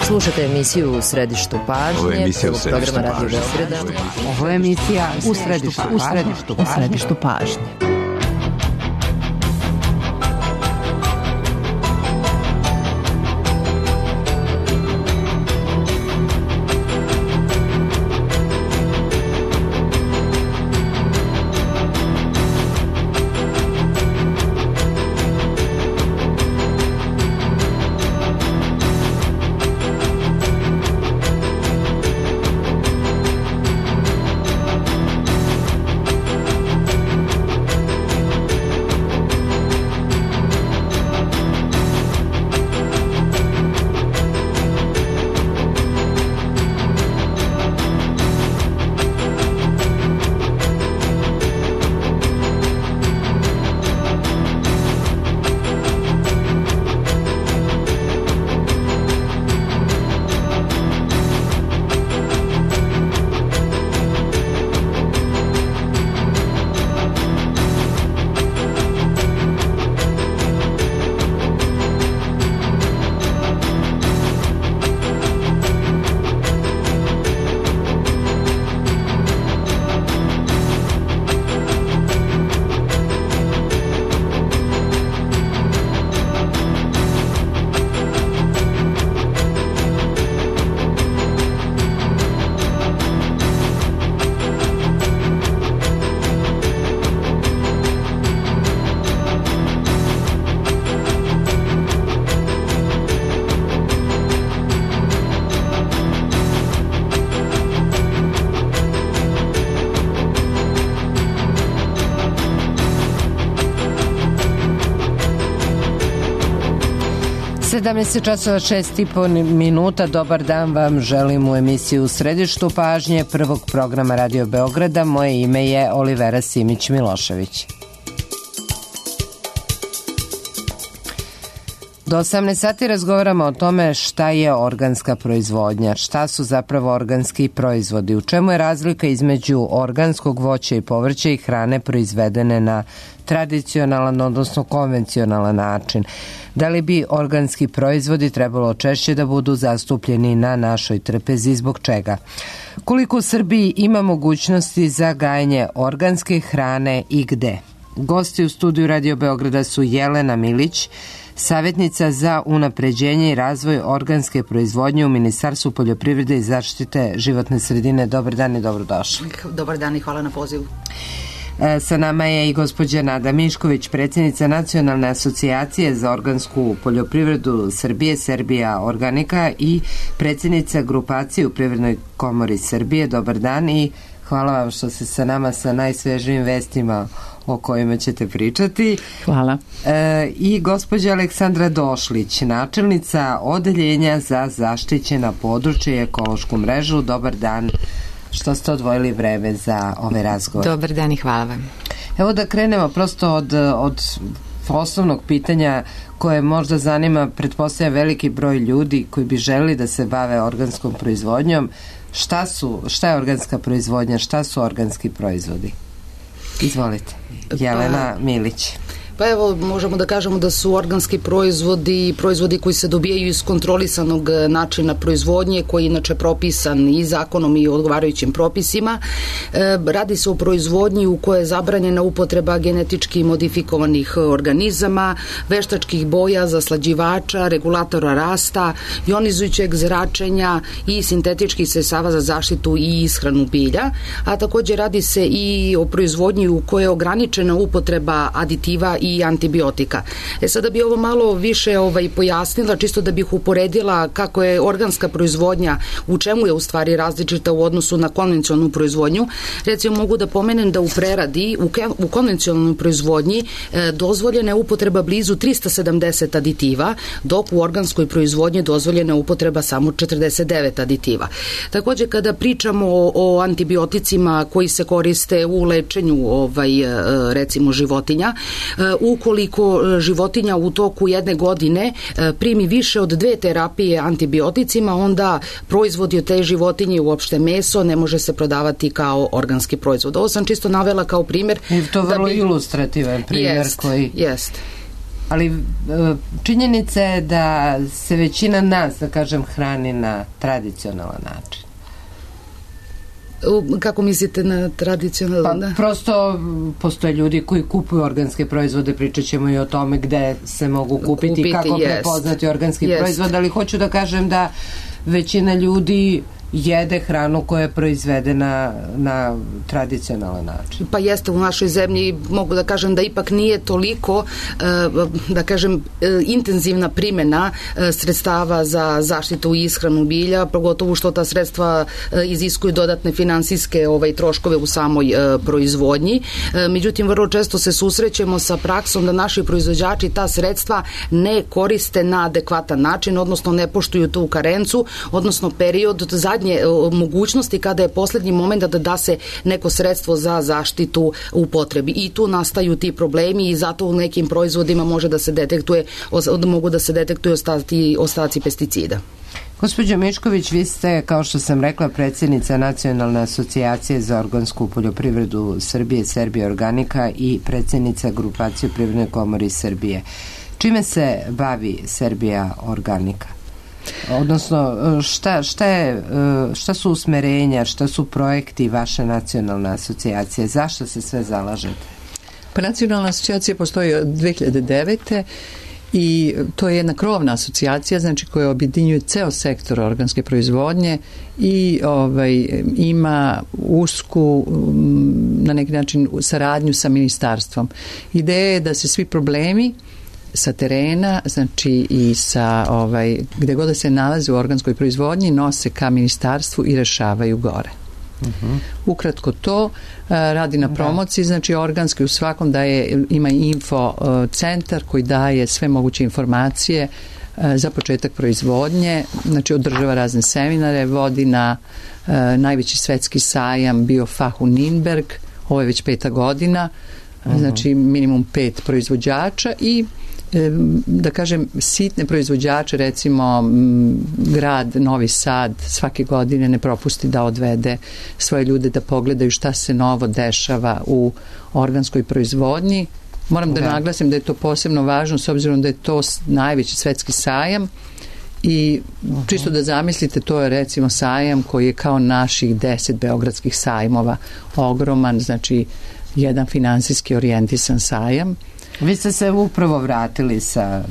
Slušate emisiju U središtu pažnje. Ovo je emisija U središtu programa Radio pažnje. Beograda. Ovo je emisija U središtu pažnje. časova 6:30. Dobar dan vam želim u emisiju U središtu pažnje prvog programa Radio Beograda. Moje ime je Olivera Simić-Milošević. Do 18 sati razgovaramo o tome šta je organska proizvodnja, šta su zapravo organski proizvodi, u čemu je razlika između organskog voća i povrća i hrane proizvedene na tradicionalan, odnosno konvencionalan način. Da li bi organski proizvodi trebalo češće da budu zastupljeni na našoj trpezi, zbog čega? Koliko u Srbiji ima mogućnosti za gajenje organske hrane i gde? Gosti u studiju Radio Beograda su Jelena Milić, savjetnica za unapređenje i razvoj organske proizvodnje u Ministarstvu poljoprivrede i zaštite životne sredine. Dobar dan i dobrodošli. Dobar dan i hvala na pozivu. Sa nama je i gospođa Nada Mišković, predsjednica Nacionalne asocijacije za organsku poljoprivredu Srbije, Serbia Organika, i predsjednica grupacije u Privrednoj komori Srbije. Dobar dan i hvala vam što ste sa nama sa najsvežijim vestima o kojima ćete pričati. Hvala. I gospođa Aleksandra Došlić, načelnica Odeljenja za zaštićena područja i ekološku mrežu. Dobar dan, što ste odvojili vreme za ovaj razgovor. Dobar dan i hvala vam. Evo da krenemo prosto od osnovnog pitanja koje možda zanima, pretpostavljam, veliki broj ljudi koji bi želeli da se bave organskom proizvodnjom. Šta je organska proizvodnja, šta su organski proizvodi? Izvolite. Jelena Milić. Pa evo, možemo da kažemo da su organski proizvodi koji se dobijaju iz kontrolisanog načina proizvodnje, koji je inače propisan i zakonom i odgovarajućim propisima. Radi se o proizvodnji u kojoj je zabranjena upotreba genetički modifikovanih organizama, veštačkih boja, zaslađivača, regulatora rasta, ionizujućeg zračenja i sintetičkih sredstava za zaštitu i ishranu bilja, a također radi se i o proizvodnji u kojoj je ograničena upotreba aditiva i antibiotika. Sada bi ovo malo više pojasnila, čisto da bih uporedila kako je organska proizvodnja, u čemu je u stvari različita u odnosu na konvencionalnu proizvodnju. Recimo, mogu da pomenem da u preradi, u konvencionalnoj proizvodnji dozvoljena je upotreba blizu 370 aditiva, dok u organskoj proizvodnji dozvoljena je upotreba samo 49 aditiva. Također, kada pričamo o antibioticima koji se koriste u lečenju recimo životinja, ukoliko životinja u toku jedne godine primi više od 2 terapije antibioticima, onda proizvodi od te životinje, uopšte meso, ne može se prodavati kao organski proizvod. Ovo sam čisto navela kao primjer. I to vrlo ilustrativan primjer koji... Jest. Ali činjenica je da se većina nas, da kažem, hrani na tradicionalan način. Kako mislite na tradicionalno? Pa prosto postoje ljudi koji kupuju organske proizvode, pričat ćemo i o tome gde se mogu kupiti, kako prepoznati organski proizvod, ali hoću da kažem da većina ljudi jede hranu koja je proizvedena na tradicionalan način. Pa jeste, u našoj zemlji mogu da kažem da ipak nije toliko da kažem intenzivna primjena sredstava za zaštitu i ishranu bilja, pogotovo što ta sredstva iziskuju dodatne finansijske troškove u samoj proizvodnji. Međutim, vrlo često se susrećemo sa praksom da naši proizvođači ta sredstva ne koriste na adekvatan način, odnosno ne poštuju tu karencu, odnosno period od zadnje mogućnosti kada je poslednji moment da se neko sredstvo za zaštitu upotrebi. I tu nastaju ti problemi i zato u nekim proizvodima mogu da se detektuju ostaci pesticida. Gospođo Mišković, vi ste, kao što sam rekla, predsjednica Nacionalne asocijacije za organsku poljoprivredu Srbije, Serbia Organika, i predsjednica grupacije Privredne komore Srbije. Čime se bavi Serbia Organika? Odnosno, šta su usmerenja, šta su projekti vaše nacionalne asocijacije? Zašto se sve zalažete? Pa nacionalna asocijacija postoji od 2009. i to je jedna krovna asocijacija, znači koja objedinjuje ceo sektor organske proizvodnje i ima usku na neki način saradnju sa ministarstvom. Ideja je da se svi problemi sa terena, znači i sa gde god da se nalaze u organskoj proizvodnji, nose ka ministarstvu i rešavaju gore. Ukratko to, radi na promociji, znači organski u svakom ima info centar koji daje sve moguće informacije za početak proizvodnje, znači održava razne seminare, vodi na najveći svetski sajam BioFach u Nürnberg, ovo je već 5. godina, znači minimum 5 proizvođača i da kažem sitne proizvođače, recimo grad Novi Sad svake godine ne propusti da odvede svoje ljude da pogledaju šta se novo dešava u organskoj proizvodnji. Moram da naglasim da je to posebno važno s obzirom da je to najveći svetski sajam i čisto da zamislite, to je recimo sajam koji je kao naših 10 beogradskih sajmova, ogroman, znači jedan finansijski orijentisan sajam. Vi ste se upravo vratili sa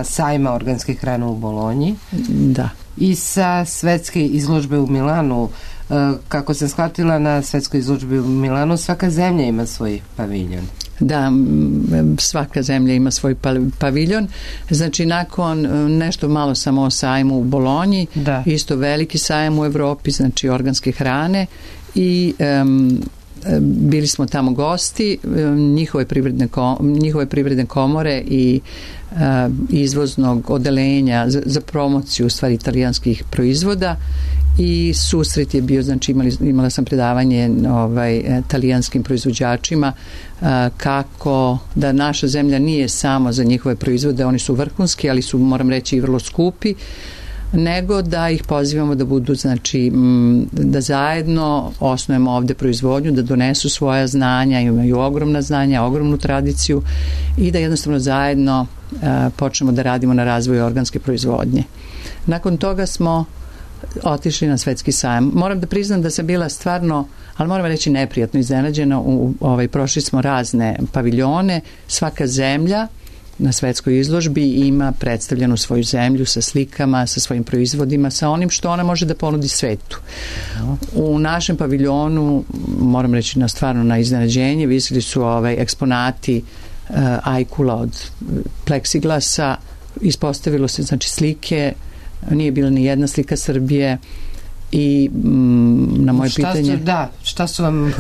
sajma organske hrane u Bolonji. Da. I sa svetske izložbe u Milanu. Kako sam shvatila, na svetskoj izložbi u Milanu svaka zemlja ima svoj paviljon. Da, svaka zemlja ima svoj paviljon. Znači, nakon nešto malo samo o sajmu u Bolonji, isto veliki sajam u Evropi, znači organske hrane i bili smo tamo gosti, njihove privredne komore i izvoznog odelenja za promociju u stvari italijanskih proizvoda i susret je bio, znači imala sam predavanje italijanskim proizvođačima kako da naša zemlja nije samo za njihove proizvode, oni su vrhunski, ali su, moram reći, i vrlo skupi, nego da ih pozivamo da budu, znači da zajedno osnujemo ovde proizvodnju, da donesu svoja znanja, imaju ogromna znanja, ogromnu tradiciju i da jednostavno zajedno počnemo da radimo na razvoju organske proizvodnje. Nakon toga smo otišli na svetski sajam. Moram da priznam da sam bila stvarno, ali moram reći neprijatno iznenađena, prošli smo razne paviljone, svaka zemlja na svetskoj izložbi ima predstavljenu svoju zemlju sa slikama, sa svojim proizvodima, sa onim što ona može da ponudi svetu. U našem paviljonu, moram reći stvarno na iznenađenje, visili su eksponati ajkula od pleksiglasa, ispostavilo se, znači, slike, nije bila ni jedna slika Srbije i na moje pitanje... Šta su vam,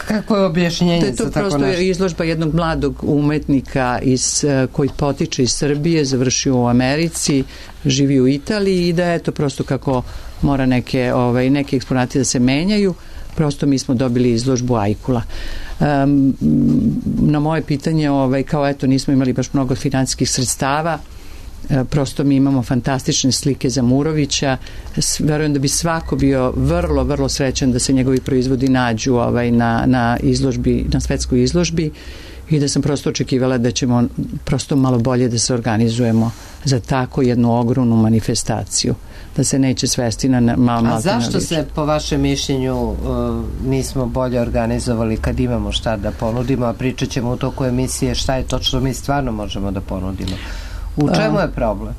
kako je objašnjenje za tako nešto? To je to prosto izložba jednog mladog umetnika koji potiče iz Srbije, završio u Americi, živi u Italiji i da je to prosto kako mora neke eksponati da se menjaju, prosto mi smo dobili izložbu ajkula. Na moje pitanje, kao eto nismo imali baš mnogo finansijskih sredstava, prosto mi imamo fantastične slike Zamurovića, verujem da bi svako bio vrlo, vrlo srećan da se njegovi proizvodi nađu na izložbi, na svetskoj izložbi i da sam prosto očekivala da ćemo prosto malo bolje da se organizujemo za tako jednu ogromnu manifestaciju, da se neće svesti na malo. A zašto se po vašem mišljenju nismo bolje organizovali kad imamo šta da ponudimo, a pričat ćemo u toku emisije šta je to što mi stvarno možemo da ponudimo? U čemu je problem?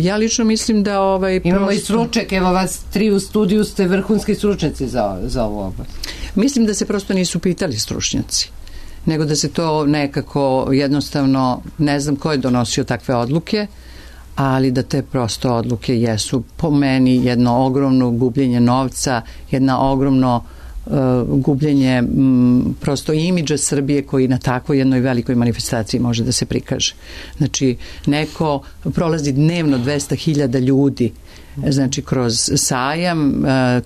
Ja lično mislim da imamo i stručnjake, evo vas 3 u studiju, ste vrhunski stručnjaci za ovu oblast. Mislim da se prosto nisu pitali stručnjaci, nego da se to nekako jednostavno, ne znam ko je donosio takve odluke, ali da te prosto odluke jesu po meni jedno ogromno gubljenje novca, jedna ogromno gubljenje prosto imidža Srbije koji na takvoj jednoj velikoj manifestaciji može da se prikaže. Znači, neko prolazi dnevno 200.000 ljudi, znači kroz sajam,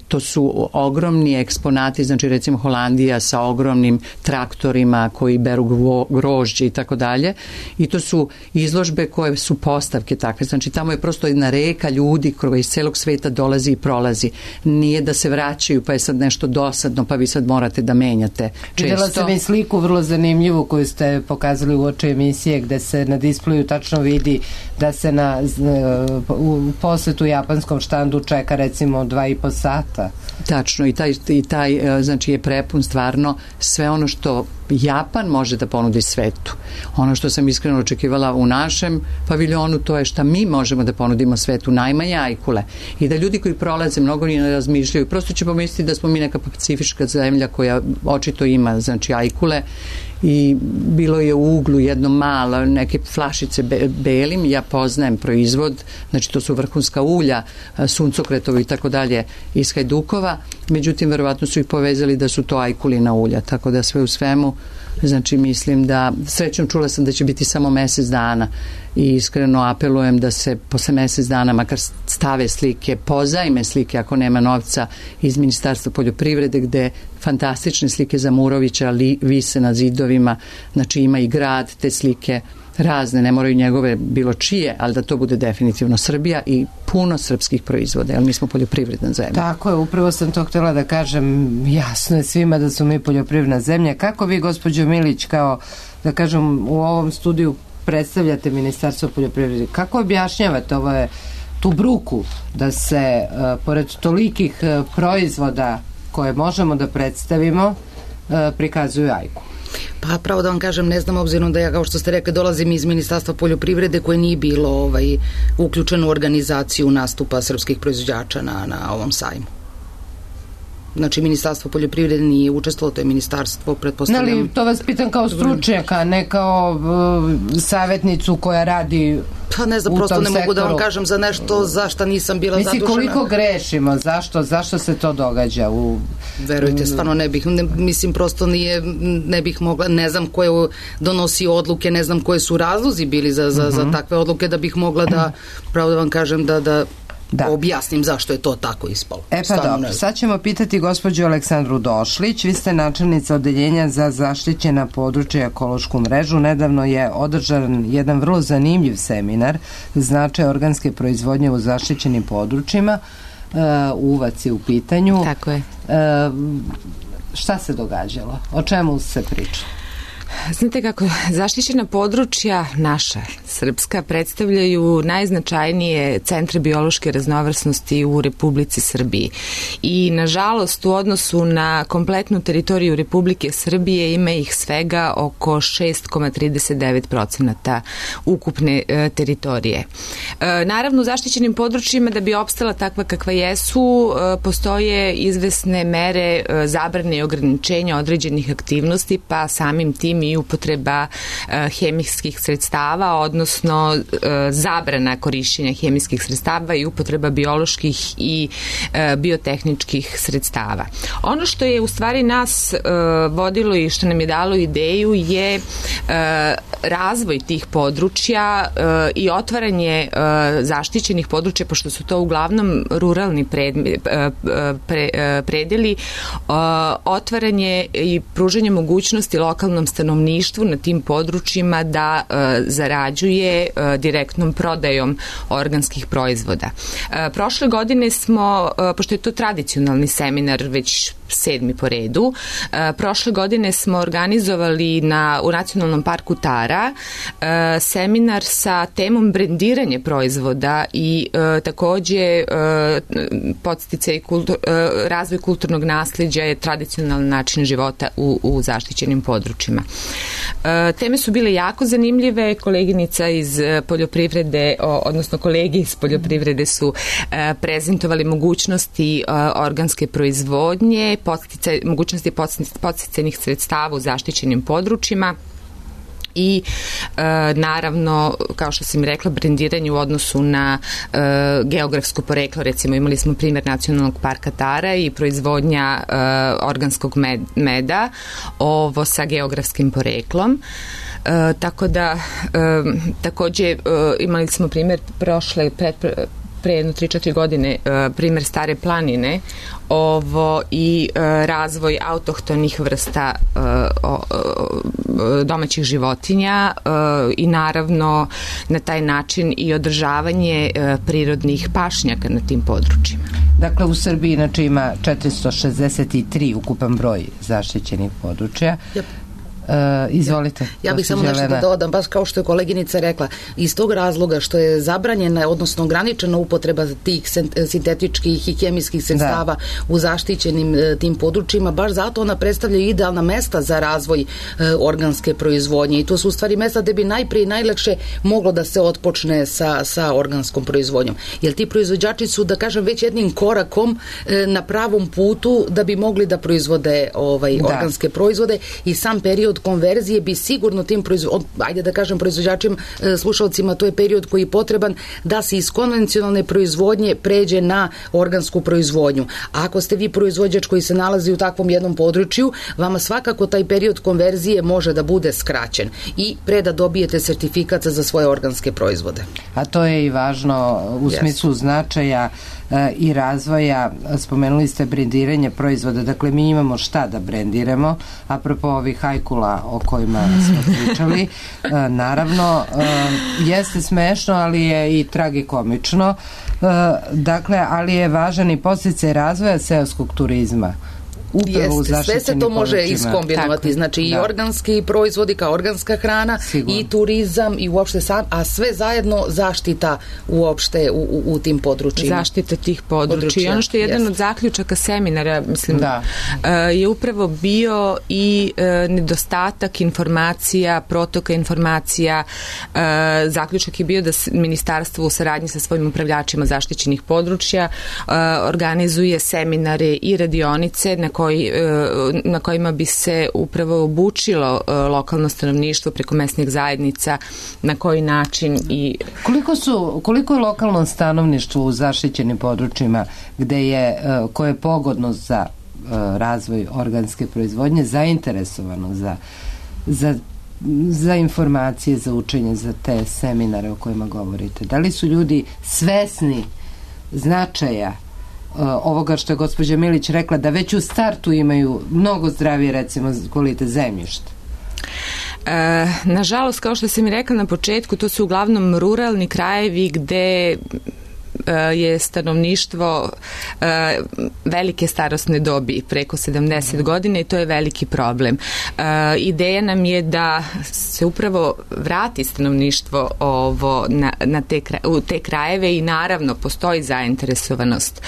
to su ogromni eksponati, znači recimo Holandija sa ogromnim traktorima koji beru grožđe i tako dalje, i to su izložbe koje su postavke takve, znači tamo je prosto jedna reka ljudi koji iz celog sveta dolazi i prolazi, nije da se vraćaju pa je sad nešto dosadno pa vi sad morate da menjate često. Videla sam i sliku vrlo zanimljivu koju ste pokazali u oči emisije gde se na displeju tačno vidi da se u posetu japanskom štandu čeka recimo 2,5 sata. Tačno, i taj znači je prepun stvarno sve ono što Japan može da ponudi svetu. Ono što sam iskreno očekivala u našem paviljonu, to je šta mi možemo da ponudimo svetu, najmanje ajkule. I da ljudi koji prolaze mnogo ni ne razmišljaju, prosto će pomisliti da smo mi neka pacifička zemlja koja očito ima, znači, ajkule, i bilo je u uglu jedno malo, neke flašice belim, ja poznajem proizvod, znači to su vrhunska ulja, suncokretovi i tako dalje iz Hajdukova, međutim verovatno su ih povezali da su to ajkulina ulja, tako da sve u svemu, znači mislim da, srećom čula sam da će biti samo mesec dana i iskreno apelujem da se posle mesec dana makar stave slike, pozajme slike ako nema novca iz Ministarstva poljoprivrede, gde fantastične slike Zamurovića vise na zidovima, znači ima i grad, te slike razne, ne moraju njegove bilo čije, ali da to bude definitivno Srbija i puno srpskih proizvoda, jer mi smo poljoprivredna zemlja. Tako je, upravo sam to htjela da kažem, jasno je svima da su mi poljoprivredna zemlja. Kako vi, gospođo Milić, kao da kažem u ovom studiju predstavljate Ministarstvo poljoprivrede, kako objašnjavate tu bruku da se pored tolikih proizvoda koje možemo da predstavimo prikazuju ajku? Pa pravo da vam kažem, ne znam, obzirom da ja, kao što ste rekli, dolazim iz Ministarstva poljoprivrede koje nije bilo uključeno u organizaciju nastupa srpskih proizvođača na ovom sajmu. Znači, Ministarstvo poljoprivrede nije učestvovalo, to je ministarstvo, pretpostavljam. Ali to vas pitam kao stručnjaka, ne kao savjetnicu koja radi pa ne znam, prosto ne mogu da vam kažem za nešto za šta nisam bila zadužena. Mislim, koliko grešimo, zašto se to događa? Verujte, stvarno ne bih, mislim, prosto ne bih mogla, ne znam ko je donosio odluke, ne znam koje su razlozi bili za takve odluke, da bih mogla da, pravo da vam kažem, da objasnim zašto je to tako ispalo. Pa dobro, sad ćemo pitati gospođu Aleksandru Došlić. Vi ste načelnica odeljenja za zaštićena područja i ekološku mrežu. Nedavno je održan jedan vrlo zanimljiv seminar značaj organske proizvodnje u zaštićenim područjima. Uvac je u pitanju. Tako je. Šta se događalo? O čemu se priča? Znate kako, zaštićena područja naša, srpska, predstavljaju najznačajnije centre biološke raznovrsnosti u Republici Srbiji. I, nažalost, u odnosu na kompletnu teritoriju Republike Srbije ima ih svega oko 6,39% ukupne teritorije. Naravno, u zaštićenim područjima, da bi opstala takva kakva jesu, postoje izvesne mere zabrane i ograničenja određenih aktivnosti, pa samim tim i upotreba hemijskih sredstava, odnosno zabrana korišćenja hemijskih sredstava i upotreba bioloških i biotehničkih sredstava. Ono što je u stvari nas vodilo i što nam je dalo ideju je razvoj tih područja i otvaranje zaštićenih područja, pošto su to uglavnom ruralni predeli, otvaranje i pružanje mogućnosti lokalnom stanovništvu stanovništvu na tim područjima da zarađuje direktnom prodajom organskih proizvoda. Prošle godine smo, pošto je to tradicionalni seminar već 7. po redu, prošle godine smo organizovali u Nacionalnom parku Tara seminar sa temom brendiranje proizvoda i takođe podsticaj razvoj kulturnog nasleđa je tradicionalan način života u zaštićenim područjima. Teme su bile jako zanimljive, koleginica iz poljoprivrede, odnosno kolegi iz poljoprivrede su prezentovali mogućnosti organske proizvodnje, mogućnosti podsticajnih sredstava u zaštićenim područjima i naravno, kao što sam rekla, brendiranje u odnosu na geografsko poreklo. Recimo, imali smo primjer Nacionalnog parka Tara i proizvodnja organskog meda sa geografskim poreklom. Tako da, takođe, imali smo primjer pre jedno 3-4 godine primjer Stare planine i razvoj autohtonih vrsta domaćih životinja i naravno na taj način i održavanje prirodnih pašnjaka na tim područjima. Dakle, u Srbiji inače ima 463 ukupan broj zaštićenih područja. Yep. Izvolite. Ja bih samo nešto da dodam, baš kao što je koleginica rekla, iz tog razloga što je zabranjena, odnosno ograničena upotreba tih sintetičkih i hemijskih sredstava u zaštićenim tim područjima, baš zato ona predstavlja idealna mesta za razvoj organske proizvodnje i to su u stvari mesta gde bi najprije i najlakše moglo da se otpočne sa organskom proizvodnjom. Jer ti proizvođači su, da kažem, već jednim korakom na pravom putu da bi mogli da proizvode organske proizvode i sam period konverzije bi sigurno tim proizvođačima, slušalcima, to je period koji je potreban da se iz konvencionalne proizvodnje pređe na organsku proizvodnju. A ako ste vi proizvođač koji se nalazi u takvom jednom području, vama svakako taj period konverzije može da bude skraćen i pre da dobijete sertifikat za svoje organske proizvode. A to je i važno u smislu značaja i razvoja. Spomenuli ste brendiranje proizvoda, dakle mi imamo šta da brendiramo, apropo ovih hajkula o kojima smo pričali. Naravno, jeste smešno, ali je i tragikomično. Dakle, ali je važan i podsticaj razvoja seoskog turizma. Sve se to može iskombinovati, znači i organski proizvodi kao organska hrana i turizam i uopšte a sve zajedno zaštita uopšte u tim područjima. Zaštita tih područja. I ono što je jedan od zaključaka seminara, mislim, je upravo bio i nedostatak informacija, protoka informacija. Zaključak je bio da ministarstvo u saradnji sa svojim upravljačima zaštićenih područja organizuje seminare i radionice na kojima bi se upravo obučilo lokalno stanovništvo preko mesnih zajednica, na koji način i... Koliko je lokalno stanovništvo u zaštićenim područjima koje je pogodno za razvoj organske proizvodnje zainteresovano za informacije, za učenje, za te seminare o kojima govorite? Da li su ljudi svesni značaja ovoga što je gospođa Milić rekla, da već u startu imaju mnogo zdravije, recimo, kvalitet zemljišta? Nažalost, kao što sam i rekla na početku, to su uglavnom ruralni krajevi gde je stanovništvo velike starosne dobi, preko 70 godina, i to je veliki problem. Ideja nam je da se upravo vrati stanovništvo u te krajeve i naravno postoji zainteresovanost,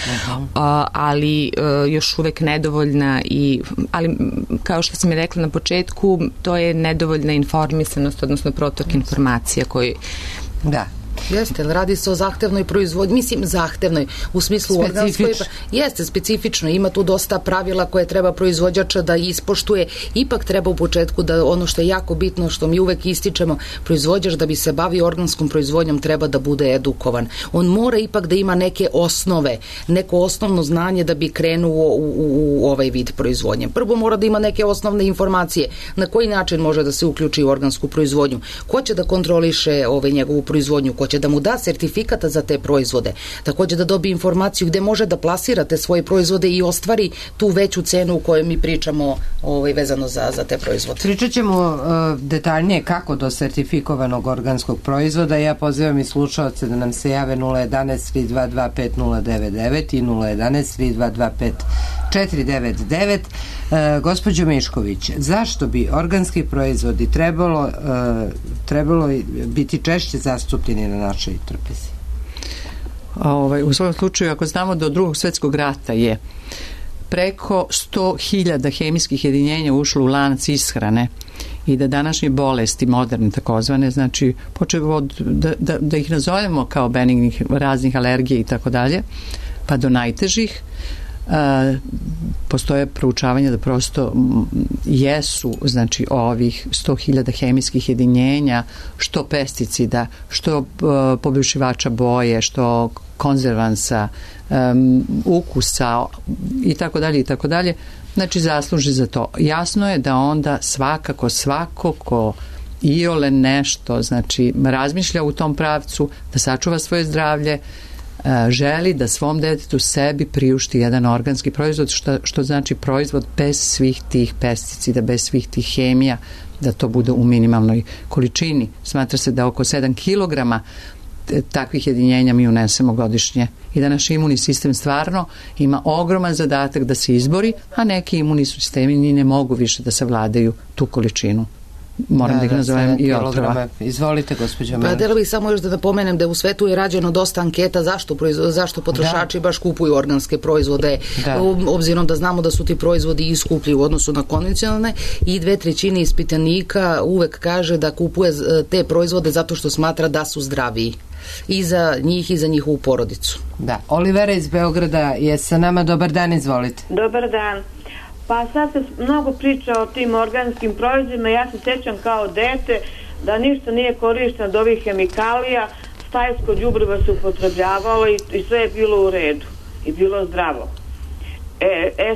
ali još uvek nedovoljna, ali kao što sam i rekla na početku, to je nedovoljna informisanost, odnosno protok informacija koji... Da. Jeste, radi se o zahtevnoj proizvodnji, mislim zahtevnoj, u smislu organskoj. Jeste, specifično, ima tu dosta pravila koje treba proizvođača da ispoštuje, ipak treba u početku da ono što je jako bitno, što mi uvek ističemo, proizvođač da bi se bavio organskom proizvodnjom treba da bude edukovan. On mora ipak da ima neke osnove, neko osnovno znanje da bi krenuo u ovaj vid proizvodnje. Prvo mora da ima neke osnovne informacije na koji način može da se uključi u organsku proizvodnju, ko će da kontroliše njegovu proizvodnju, ko će da mu da sertifikata za te proizvode, takođe da dobije informaciju gde može da plasira te svoje proizvode i ostvari tu veću cenu u kojoj mi pričamo vezano za te proizvode. Pričat ćemo detaljnije kako do sertifikovanog organskog proizvoda. Ja pozivam i slušalce da nam se jave 011-322-5099 i 011-322-5499. Gospođo Mišković, zašto bi organski proizvodi trebalo biti češće zastupljeni na našoj trpezi? U svom slučaju, ako znamo do Drugog svjetskog rata je preko 100.000 hemijskih jedinjenja ušlo u lanac ishrane i da današnje bolesti, moderne takozvane, znači počeo od, da ih nazovemo kao benignih raznih alergija i tako dalje, pa do najtežih, postoje proučavanja da prosto jesu, znači ovih 100.000 hemijskih jedinjenja, što pesticida, što poboljšivača boje, što konzervansa, ukusa i tako dalje, znači zasluži za to. Jasno je da onda svakako svako ko iole nešto, znači razmišlja u tom pravcu da sačuva svoje zdravlje, želi da svom detetu sebi priušti jedan organski proizvod, što znači proizvod bez svih tih pesticida, bez svih tih hemija, da to bude u minimalnoj količini. Smatra se da oko 7 kilograma takvih jedinjenja mi unesemo godišnje i da naš imunni sistem stvarno ima ogroman zadatak da se izbori, a neki imunni sistemi ni ne mogu više da savladaju tu količinu. Moram da ih nazovem i otrova. Izvolite, gospođo Melić. Pa da bih samo još da napomenem da u svetu je rađeno dosta anketa zašto potrošači baš kupuju organske proizvode, obzirom da znamo da su ti proizvodi iskuplji u odnosu na konvencionalne, i 2/3 ispitanika uvek kaže da kupuje te proizvode zato što smatra da su zdraviji i za njih i za njihovu porodicu. Da, Olivera iz Beograda je sa nama. Dobar dan, izvolite. Dobar dan. Pa sad se mnogo priča o tim organskim proizvodima. Ja se sjećam kao dete da ništa nije korišteno od ovih hemikalija, stajsko đubrivo se upotrebljavalo i sve je bilo u redu i bilo zdravo.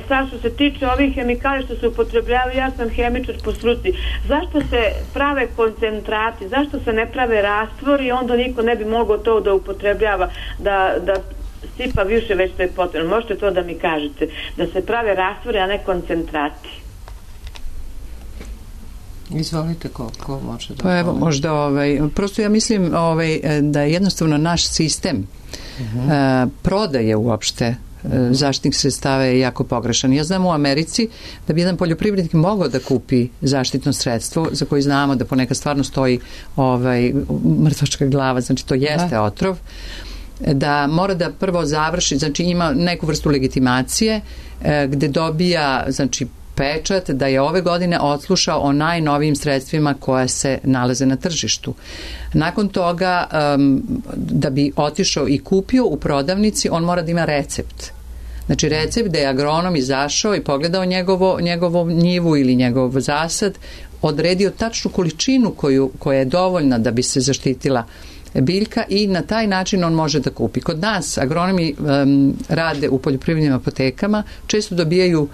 Sad što se tiče ovih hemikalija što se upotrebljavaju, ja sam hemičar po struci. Zašto se prave koncentrati, zašto se ne prave rastvori, onda niko ne bi mogao to da upotrebljava, da sipa više već to je potrebno. Možete to da mi kažete, da se prave rastvori, a ne koncentrati. Izvolite, ko može da... Pa evo, možda, prosto ja mislim da je jednostavno naš sistem prodaje uopšte zaštitnih sredstava je jako pogrešan. Ja znam u Americi da bi jedan poljoprivrednik mogao da kupi zaštitno sredstvo za koje znamo da ponekad stvarno stoji mrtvačka glava, znači to jeste otrov, da mora da prvo završi, znači ima neku vrstu legitimacije gde dobija, znači, pečat da je ove godine odslušao o najnovijim sredstvima koja se nalaze na tržištu. Nakon toga, da bi otišao i kupio u prodavnici, on mora da ima recept. Znači recept da je agronom izašao i pogledao njegovu njivu ili njegov zasad, odredio tačnu količinu koja je dovoljna da bi se zaštitila biljka i na taj način on može da kupi. Kod nas agronomi rade u poljoprivrednim apotekama, često dobijaju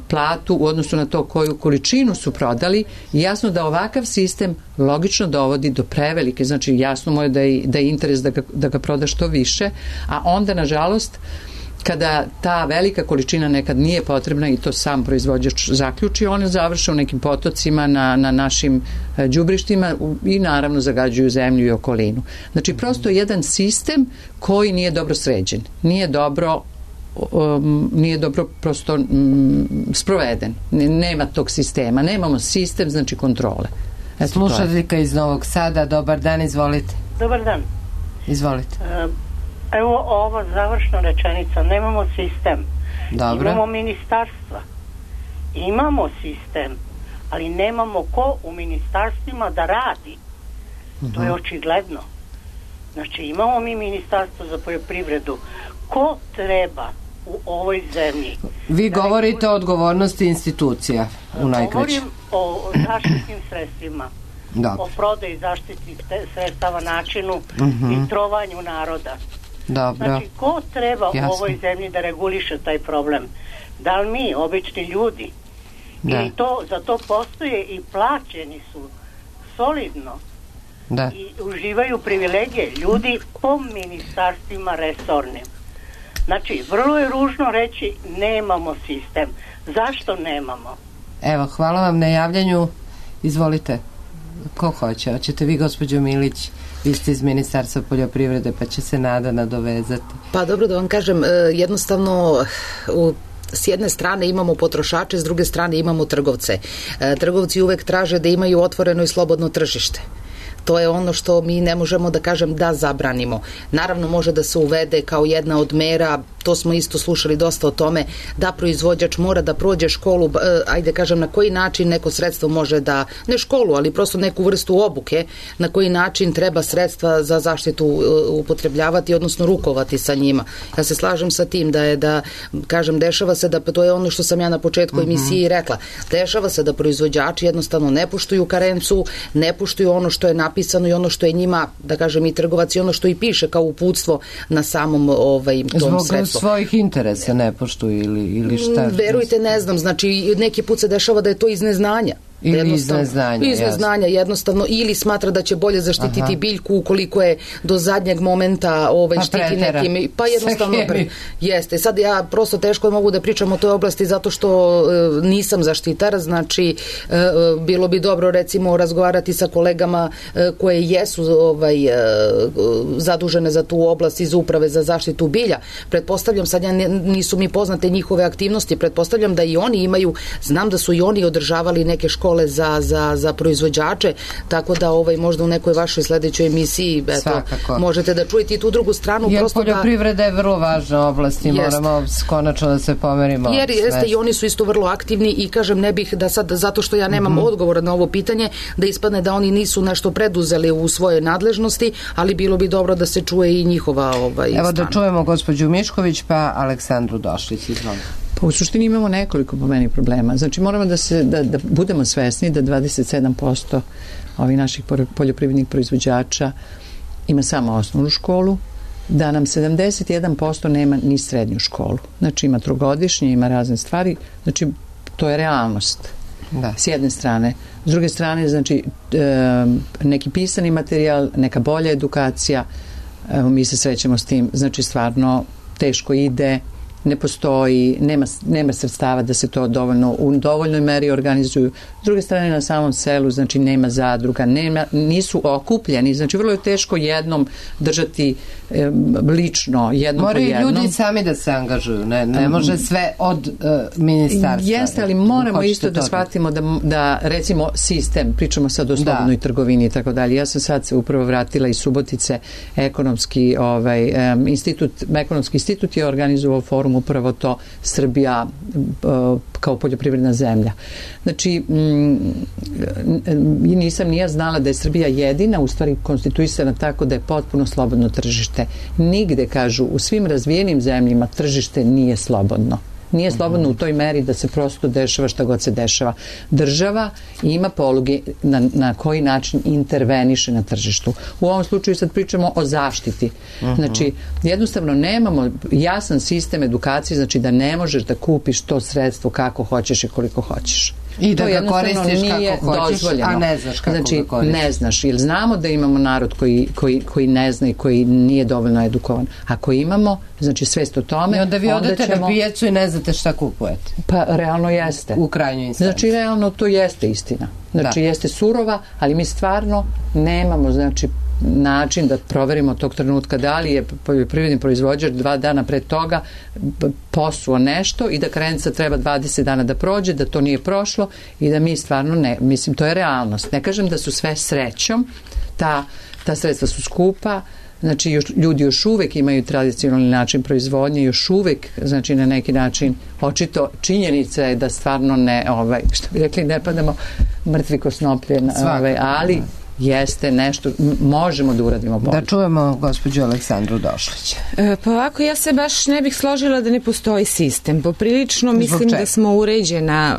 platu u odnosu na to koju količinu su prodali i jasno da ovakav sistem logično dovodi do prevelike, znači jasno mu je da je interes da ga proda što više, a onda nažalost kada ta velika količina nekad nije potrebna i to sam proizvođač zaključi, one završe u nekim potocima na našim đubrištima i naravno zagađuju zemlju i okolinu. Znači prosto jedan sistem koji nije dobro sređen, nije dobro prosto sproveden. Nema tog sistema. Nemamo sistem, znači kontrole. Slušateljka iz Novog Sada, dobar dan, izvolite. Dobar dan. Izvolite. Evo ova završna rečenica, nemamo sistem. Dobro. Imamo ministarstva. Imamo sistem, ali nemamo ko u ministarstvima da radi. To je očigledno. Znači imamo mi ministarstvo za poljoprivredu. Ko treba u ovoj zemlji? Vi govorite o odgovornosti institucija u najkraće. Govorim o zaštitnim sredstvima. Dobro. O prodaji zaštitnih sredstava, načinu i trovanju naroda. Dobro. Znači, ko treba u ovoj zemlji da reguliše taj problem? Da li mi, obični ljudi? Ili za to postoje i plaćeni su solidno i uživaju privilegije ljudi po ministarstvima resornim. Znači, vrlo je ružno reći nemamo sistem. Zašto nemamo? Evo, hvala vam na javljanju. Izvolite. Ko hoće? Hoćete vi, gospođo Milić? Vi ste iz Ministarstva poljoprivrede, pa će se Nada nadovezati. Pa dobro da vam kažem, jednostavno s jedne strane imamo potrošače, s druge strane imamo trgovce. Trgovci uvek traže da imaju otvoreno i slobodno tržište. To je ono što mi ne možemo da kažem da zabranimo. Naravno može da se uvede kao jedna od mera, to smo isto slušali dosta o tome, da proizvođač mora da prođe školu, ajde kažem na koji način neko sredstvo može da, ne školu, ali prosto neku vrstu obuke, na koji način treba sredstva za zaštitu upotrebljavati, odnosno rukovati sa njima. Ja se slažem sa tim da kažem, dešava se da, to je ono što sam ja na početku emisiji rekla, dešava se da proizvođači jednostavno ne poštuju karencu, ne poštuju ono što je napisano i ono što je njima, da kažem, i trgovac i ono što i piše kao uputstvo na samom tom sredstvu. Zbog svojih interesa ne poštuju ili šta? Verujte, ne znam, znači neki put se dešava da je to iz neznanja. Ili iz neznanja. Jednostavno, ili smatra da će bolje zaštititi biljku ukoliko je do zadnjeg momenta štiti nekim, pa jednostavno jeste. Sad ja prosto teško mogu da pričam o toj oblasti zato što nisam zaštitar, znači bilo bi dobro recimo razgovarati sa kolegama koje jesu zadužene za tu oblast iz Uprave za zaštitu bilja. Pretpostavljam, sad nisu mi poznate njihove aktivnosti, pretpostavljam da i oni imaju, znam da su i oni održavali neke škole za proizvođače, tako da možda u nekoj vašoj sledećoj emisiji možete da čujete i tu drugu stranu. Jer poljoprivreda je vrlo važna oblast i moramo konačno da se pomerimo. Jer jeste i oni su isto vrlo aktivni i kažem, ne bih da sad, zato što ja nemam odgovora na ovo pitanje, da ispadne da oni nisu nešto preduzeli u svoje nadležnosti, ali bilo bi dobro da se čuje i njihova strana. Evo da čujemo gospođu Mišković pa Aleksandru Došlić. Izvolite. Pa u suštini imamo nekoliko po meni problema. Znači moramo da budemo svesni da 27% ovih naših poljoprivrednih proizvođača ima samo osnovnu školu, da nam 71% nema ni srednju školu. Znači ima trogodišnje, ima razne stvari, znači to je realnost. Da. S jedne strane. S druge strane, znači neki pisani materijal, neka bolja edukacija, evo mi se srećemo s tim, znači stvarno teško ide, ne postoji, nema sredstava da se to u dovoljnoj meri organizuju. S druge strane, na samom selu, znači nema zadruga, nisu okupljeni, znači vrlo je teško jednom držati lično, jednom po jednom. Moraju ljudi sami da se angažuju, ne može sve od ministarstva. Jeste, ali moramo isto da shvatimo da recimo sistem, pričamo sad o slobodnoj trgovini i tako dalje. Ja sam sad se upravo vratila iz Subotice, ekonomski institut je organizovao forum upravo to Srbija kao poljoprivredna zemlja. Znači, nisam ni ja znala da je Srbija jedina u stvari konstituisana tako da je potpuno slobodno tržište. Nigde, kažu, u svim razvijenim zemljima tržište nije slobodno. Nije slobodno u toj meri da se prosto dešava šta god se dešava. Država ima poluge na koji način interveniše na tržištu. U ovom slučaju sad pričamo o zaštiti. Znači, jednostavno nemamo jasan sistem edukacije, znači da ne možeš da kupiš to sredstvo kako hoćeš i koliko hoćeš. I da ga koristiš kako hoćeš, a ne znaš kako ga koristiš. Ne znaš, jer znamo da imamo narod koji ne zna i koji nije dovoljno edukovan. Ako imamo, znači svest o tome, i onda vi odete na pijacu i ne znate šta kupujete. Pa realno jeste. U krajnjoj instanci. Znači realno to jeste istina. Znači jeste surova, ali mi stvarno nemamo, znači, način da proverimo tog trenutka da li je poljoprivredni proizvođač 2 dana pre toga posuo nešto i da karenca treba 20 dana da prođe, da to nije prošlo i da mi stvarno ne, mislim, to je realnost. Ne kažem da su sve srećom, ta sredstva su skupa, znači ljudi još uvek imaju tradicionalni način proizvodnje, još uvek, znači na neki način očito činjenica je da stvarno ne, što bi rekli, ne padamo mrtvi ko snoplje, ali jeste nešto, možemo da uradimo bolje. Da čujemo gospođu Aleksandru Došlić. Pa ovako, ja se baš ne bih složila da ne postoji sistem. Poprilično mislim da smo uređena,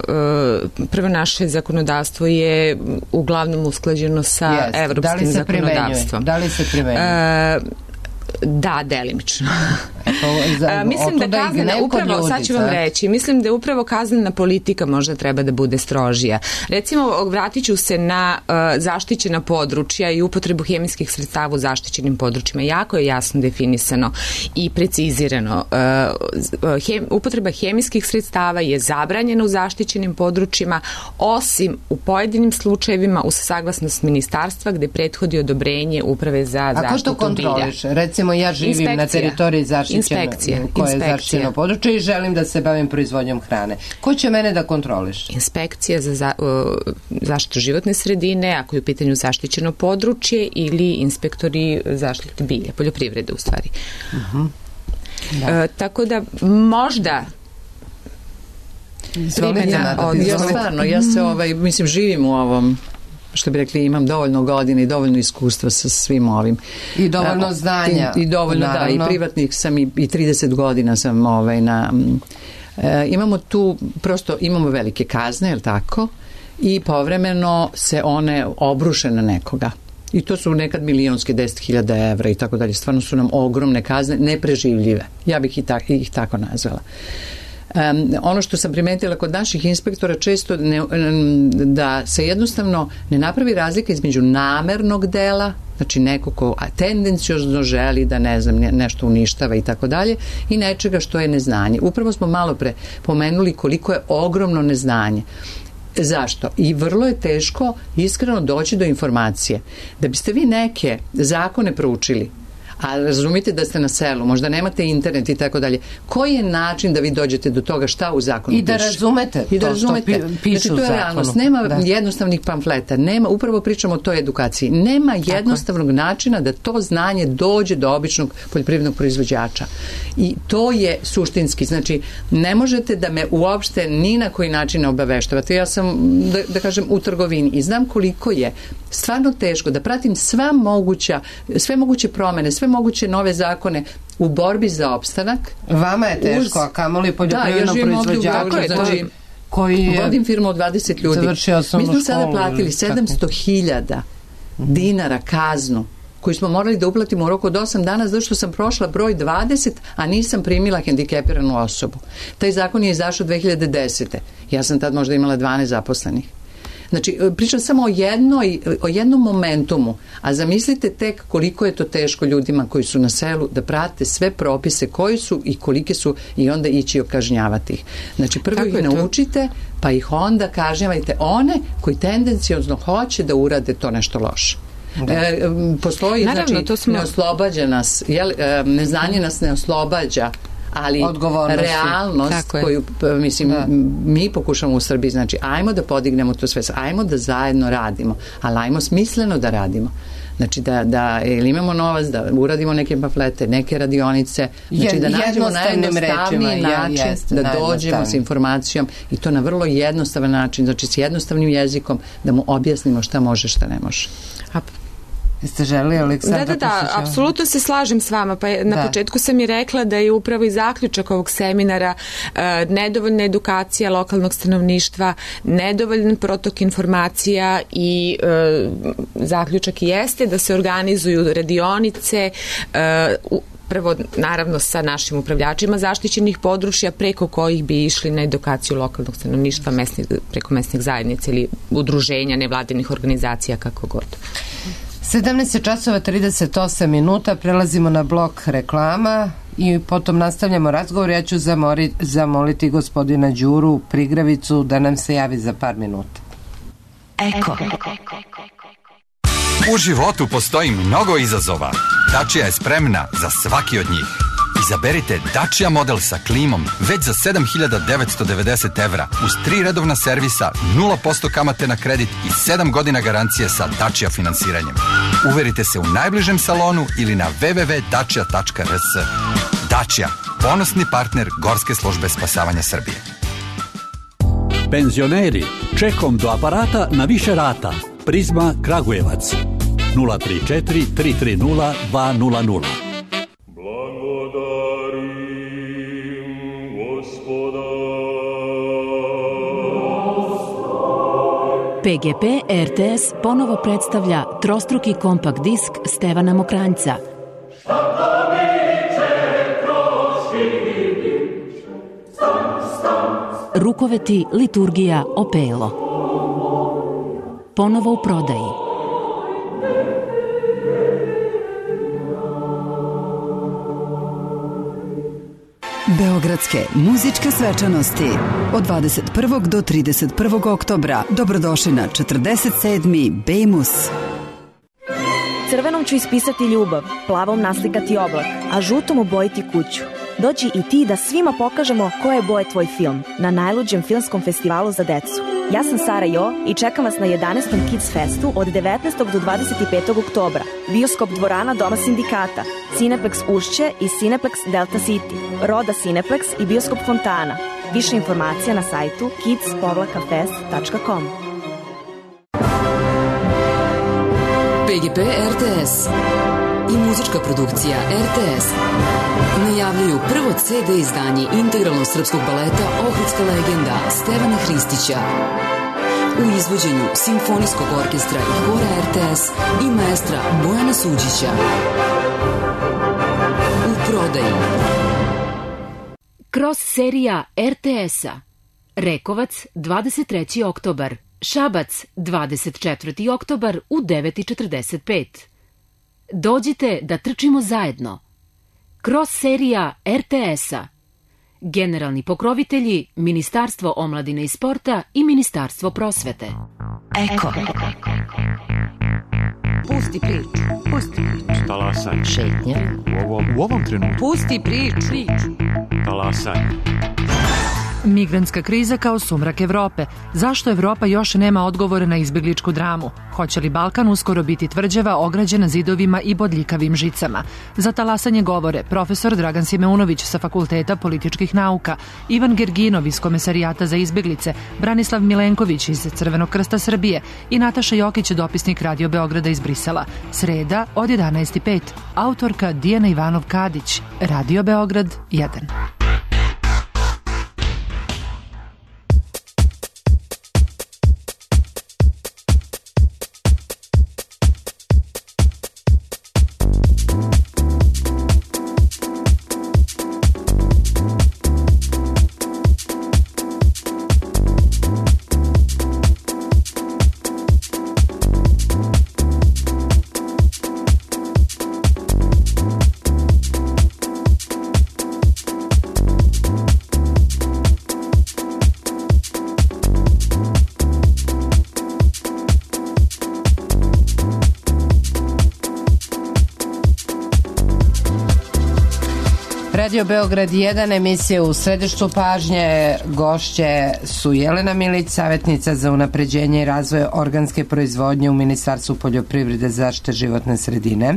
prvo naše zakonodavstvo je uglavnom usklađeno sa evropskim zakonodavstvom. Da li se primenjuje? Da, delimično. Mislim da kaznena, upravo, sad ću vam reći, mislim da upravo kaznena politika možda treba da bude strožija. Recimo, vratit ću se na zaštićena područja i upotrebu hemijskih sredstava u zaštićenim područjima. Jako je jasno definisano i precizirano. Upotreba hemijskih sredstava je zabranjena u zaštićenim područjima, osim u pojedinim slučajevima uz saglasnost ministarstva gde prethodi odobrenje Uprave za zaštitu bilja. Ako to kontroliš? Recimo, ja živim na teritoriji koje je zaštićeno područje i želim da se bavim proizvodnjom hrane. Ko će mene da kontroliš? Inspekcija za zaštitu životne sredine, ako je u pitanju zaštićeno područje, ili inspektori zaštite bilja, poljoprivrede u stvari. Tako da možda ja se mislim živim u ovom, što bi rekli, imam dovoljno godina i dovoljno iskustva sa svim ovim. I dovoljno znanja. I dovoljno, naravno. Da, i privatnik sam i 30 godina sam imamo tu, prosto imamo velike kazne, je li tako? I povremeno se one obruše na nekoga. I to su nekad milionske, 10.000 evra i tako dalje. Stvarno su nam ogromne kazne, nepreživljive. Ja bih ih tako nazvala. Ono što sam primetila kod naših inspektora često da se jednostavno ne napravi razlika između namernog dela, znači neko ko tendenciozno želi da nešto uništava i tako dalje, i nečega što je neznanje. Upravo smo malo pre pomenuli koliko je ogromno neznanje. Zašto? I vrlo je teško iskreno doći do informacije. Da biste vi neke zakone proučili, a razumite da ste na selu, možda nemate internet i tako dalje, koji je način da vi dođete do toga šta u zakonu piše? I da razumete to što piše znači, to je realnost. Nema jednostavnih pamfleta, upravo pričamo o toj edukaciji, nema jednostavnog načina da to znanje dođe do običnog poljoprivrednog proizvođača. I to je suštinski, znači ne možete da me uopšte ni na koji način ne obaveštavate. Ja sam, da kažem, u trgovini i znam koliko je stvarno teško da pratim sve moguće promene, sve moguće nove zakone u borbi za opstanak. Vama je teško, a kamoli poljoprivrednom proizvođaču koji vodim firmu od 20 ljudi. Mi smo sada platili 700.000 dinara kaznu koju smo morali da uplatimo u roku od 8 dana zato što sam prošla broj 20, a nisam primila hendikepiranu osobu. Taj zakon je izašao 2010. Ja sam tad možda imala 12 zaposlenih. Znači, pričam samo o jednom momentumu, a zamislite tek koliko je to teško ljudima koji su na selu da prate sve propise koji su i kolike su i onda ići okažnjavati ih. Znači, prvo ih naučite, pa ih onda kažnjavajte one koji tendenciozno hoće da urade to nešto loše. Postoji, naravno, znači, ne oslobađa nas, neznanje nas ne oslobađa, ali realnost koju, mislim, mi pokušamo u Srbiji, znači, ajmo da podignemo to sve, ajmo da zajedno radimo, ali ajmo smisleno da radimo. Znači, da imamo novac, da uradimo neke pamflete, neke radionice, znači da nađemo najjednostavniji način da dođemo s informacijom i to na vrlo jednostavan način, znači s jednostavnim jezikom, da mu objasnimo šta može, šta ne može. Jeste želi, Aleksandra? Da, apsolutno se slažem s vama. Pa na početku sam i rekla da je upravo i zaključak ovog seminara nedovoljna edukacija lokalnog stanovništva, nedovoljan protok informacija i zaključak jeste da se organizuju radionice, prvo naravno sa našim upravljačima zaštićenih područja preko kojih bi išli na edukaciju lokalnog stanovništva preko mesnih zajednica ili udruženja nevladinih organizacija, kako god. 17:38, prelazimo na blok reklama i potom nastavljamo razgovor. Ja ću zamoliti gospodina Đuru Prigravicu da nam se javi za par minuta. Eko. U životu postoji mnogo izazova. Dacia je spremna za svaki od njih. Izaberite Dacia model sa klimom već za 7.990 evra uz 3 redovna servisa, 0% kamate na kredit i 7 godina garancije sa Dacia finansiranjem. Uverite se u najbližem salonu ili na www.dacia.rs. Dacia, ponosni partner Gorske službe spasavanja Srbije. Penzioneri, čekom do aparata na više rata. Prizma Kragujevac 034 330 200. PGP RTS ponovo predstavlja trostruki kompakt disk Stevana Mokranjca. Rukoveti, liturgija, opelo. Ponovo u prodaji. Beogradske muzičke svečanosti od 21. do 31. oktobra. Dobrodošli na 47. Bejmus. Crvenom ću ispisati ljubav, plavom naslikati oblak, a žutom obojiti kuću. Dođi i ti da svima pokažemo koje boje tvoj film na najluđem filmskom festivalu za decu. Ja sam Sara Jo i čekam vas na 11. Kids Festu od 19. do 25. oktobra. Bioskop dvorana Doma sindikata, Cineplex Ušće i Cineplex Delta City, Roda Cineplex i Bioskop Fontana. Više informacija na sajtu kids-fest.com. PGP RTS i muzička produkcija RTS najavljuju prvo CD izdanje integralnog srpskog baleta Ohridska legenda Stevana Hristića u izvođenju Simfonijskog orkestra i hora RTS i maestra Bojana Suđića. U prodaji Cross serija RTS-a. Rekovac 23. oktobar, Šabac 24. oktobar u 9:45. Dođite da trčimo zajedno. Cross serija RTS-a. Generalni pokrovitelji Ministarstvo omladine i sporta i Ministarstvo prosvete. Eko. Pusti priču. Pusti priču. Talasaj. Šetnja. U ovom trenutku. Pusti priču. Talasaj. Migrantska kriza kao sumrak Evrope. Zašto Evropa još nema odgovore na izbjegličku dramu? Hoće li Balkan uskoro biti tvrđava ograđena zidovima i bodljikavim žicama? Za talasanje govore profesor Dragan Simeunović sa Fakulteta političkih nauka, Ivan Gerginov iz Komesarijata za izbjeglice, Branislav Milenković iz Crvenog krsta Srbije i Nataša Jokić, dopisnik Radio Beograda iz Brisela. Sreda od 11:05. Autorka Dijana Ivanov-Kadić. Radio Beograd 1. Radio Beograd 1, emisija u središtu pažnje. Gošće su Jelena Milić, savjetnica za unapređenje i razvoj organske proizvodnje u Ministarstvu poljoprivrede, zaštite životne sredine.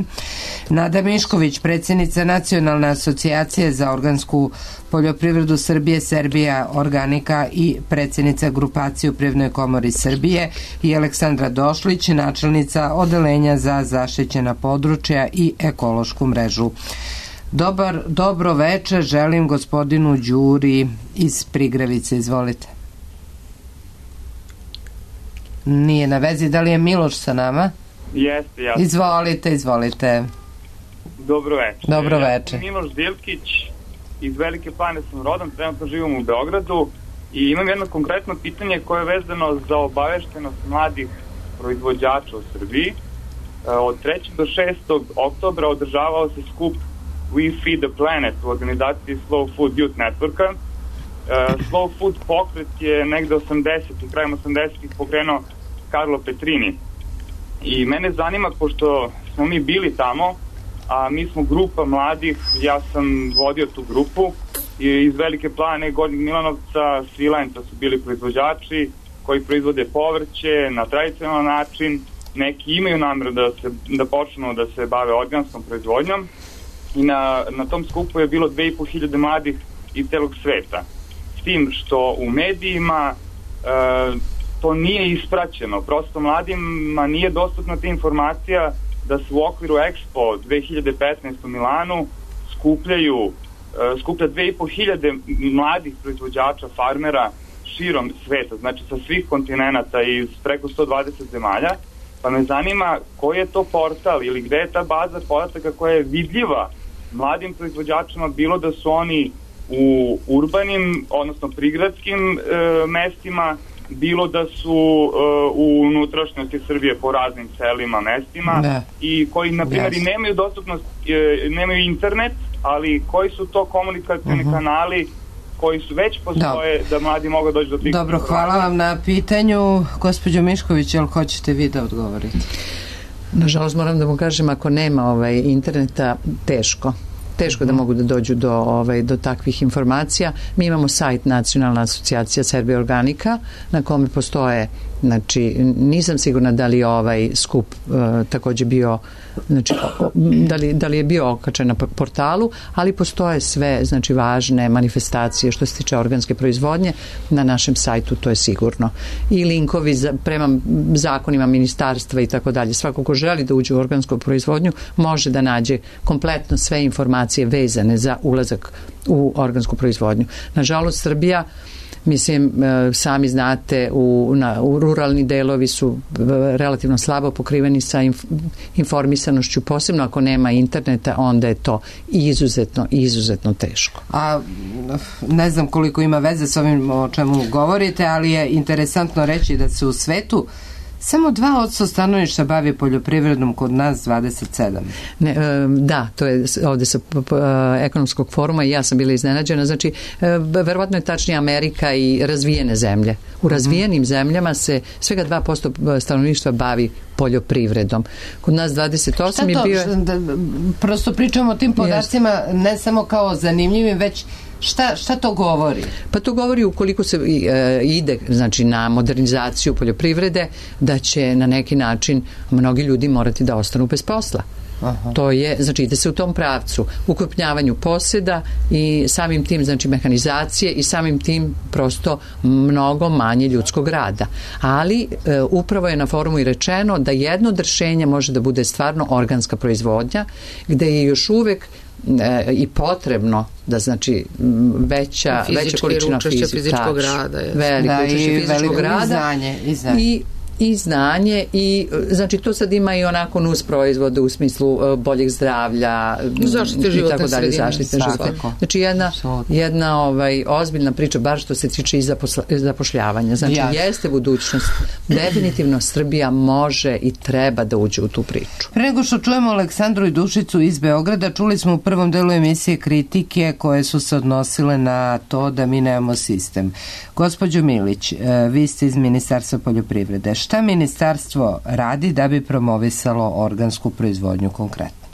Nada Mišković, predsjednica Nacionalne asocijacije za organsku poljoprivredu Srbije, Serbija Organika i predsjednica grupacije u Privrednoj komori Srbije, i Aleksandra Došlić, načelnica odelenja za zaštićena područja i ekološku mrežu. Dobro večer želim gospodinu Đuri iz Prigrevice. Izvolite. Nije na vezi. Da li je Miloš sa nama? Jeste, ja. Izvolite. Dobro večer. Dobro večer. Ja sam Miloš Dilkić, iz Velike Plane sam rodom, trenutno živim u Beogradu i imam jedno konkretno pitanje koje je vezano za obaveštenost mladih proizvođača u Srbiji. Od 3. do 6. oktobra održavao se skup We Feed the Planet u organizaciji Slow Food Youth Networka. Slow Food pokret je negde 80-ih, krajem 80-ih pokrenuo Karlo Petrini. I mene zanima, pošto smo mi bili tamo, a mi smo grupa mladih, ja sam vodio tu grupu, i iz Velike Plane, Gornjeg Milanovca, Svilajnca su bili proizvođači koji proizvode povrće na tradicionalan način. Neki imaju namjeru da počnu da se bave organskom proizvodnjom. I na tom skupu je bilo 2500 mladih iz celog sveta. S tim što u medijima to nije ispraćeno. Prosto mladima nije dostupna ta informacija da su u okviru Expo 2015 u Milanu skuplja 2500 mladih proizvođača, farmera širom sveta, znači sa svih kontinenata i iz preko 120 zemalja. Pa me zanima koji je to portal ili gde je ta baza podataka koja je vidljiva mladim proizvođačima, bilo da su oni u urbanim, odnosno prigradskim mestima, bilo da su u unutrašnjosti Srbije po raznim selima, mestima, i koji, na primjer, i nemaju dostupnost, nemaju internet, ali koji su to komunikacijni kanali koji su već postoje da mladi mogu doći do tih. Dobro, hvala vam na pitanju. Gospođo Mišković, jel hoćete vi da odgovorite? Nažalost, moram da mu kažem, ako nema interneta, teško da mogu da dođu do takvih informacija. Mi imamo sajt Nacionalna asocijacija Serbia Organika na kome postoje, znači nisam sigurna da li je ovaj skup takođe bio, znači da li je bio okačen na portalu, ali postoje sve, znači, važne manifestacije što se tiče organske proizvodnje na našem sajtu, to je sigurno. I linkovi prema zakonima ministarstva i tako dalje. Svako ko želi da uđe u organsku proizvodnju može da nađe kompletno sve informacije vezane za ulazak u organsku proizvodnju. Nažalost, Srbija, mislim, sami znate, u ruralni delovi su relativno slabo pokriveni sa informisanošću, posebno ako nema interneta, onda je to izuzetno teško. A ne znam koliko ima veze s ovim o čemu govorite, ali je interesantno reći da se u svetu samo 2% stanovništva bavi poljoprivredom, kod nas 27%. Da, to je ovde sa ekonomskog foruma i ja sam bila iznenađena. Znači, verovatno je tačnije Amerika i razvijene zemlje. U razvijenim zemljama se svega 2% stanovništva bavi poljoprivredom. Kod nas 28% je bio... Prosto pričamo o tim podacima ne samo kao zanimljivim, već šta to govori? Pa to govori ukoliko se ide, znači, na modernizaciju poljoprivrede, da će na neki način mnogi ljudi morati da ostanu bez posla. To je, znači, ide se u tom pravcu, ukrupnjavanju poseda i samim tim, znači, mehanizacije i samim tim prosto mnogo manje ljudskog rada. Ali upravo je na forumu i rečeno da jedno od rešenja može da bude stvarno organska proizvodnja, gde je još uvek i potrebno da, znači, veća količina fizičkog rada, veliko učešće fizičkog rada i znanje i, znači, to sad ima i onako nus proizvode u smislu boljeg zdravlja zaštite životne sredine. Znači jedna ozbiljna priča, bar što se tiče i zapošljavanja. Znači, jeste budućnost. Definitivno Srbija može i treba da uđe u tu priču. Pre nego što čujemo Aleksandru i Dušicu iz Beograda, čuli smo u prvom delu emisije kritike koje su se odnosile na to da mi nemamo sistem. Gospođo Milić, vi ste iz Ministarstva poljoprivrede. Šta ministarstvo radi da bi promovisalo organsku proizvodnju konkretno?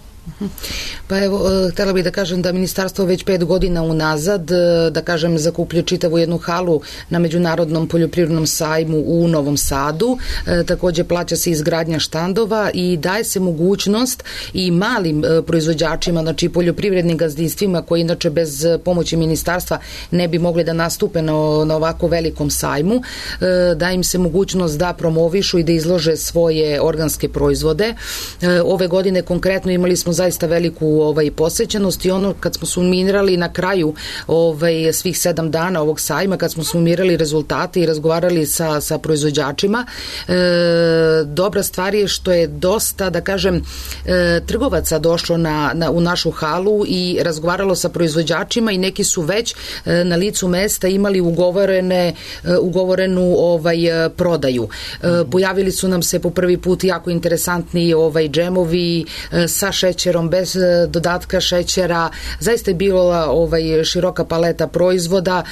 Pa evo, htjela bih da kažem da ministarstvo već 5 godina unazad, da kažem, zakupljuje čitavu jednu halu na Međunarodnom poljoprivrednom sajmu u Novom Sadu. Takođe plaća se izgradnja štandova i daje se mogućnost i malim proizvođačima, znači poljoprivrednim gazdinstvima koji inače bez pomoći ministarstva ne bi mogli da nastupe na ovako velikom sajmu, da im se mogućnost da promovišu i da izlože svoje organske proizvode. Ove godine konkretno imali smo zaista veliku posećenost i ono kad smo sumirali na kraju svih 7 dana ovog sajma, kad smo sumirali rezultate i razgovarali sa proizvođačima, dobra stvar je što je dosta, da kažem, trgovaca došlo u našu halu i razgovaralo sa proizvođačima i neki su već na licu mesta imali ugovorenu prodaju. Pojavili su nam se po prvi put jako interesantni džemovi sa šećerom, bez dodatka šećera. Zaista je bila široka paleta proizvoda.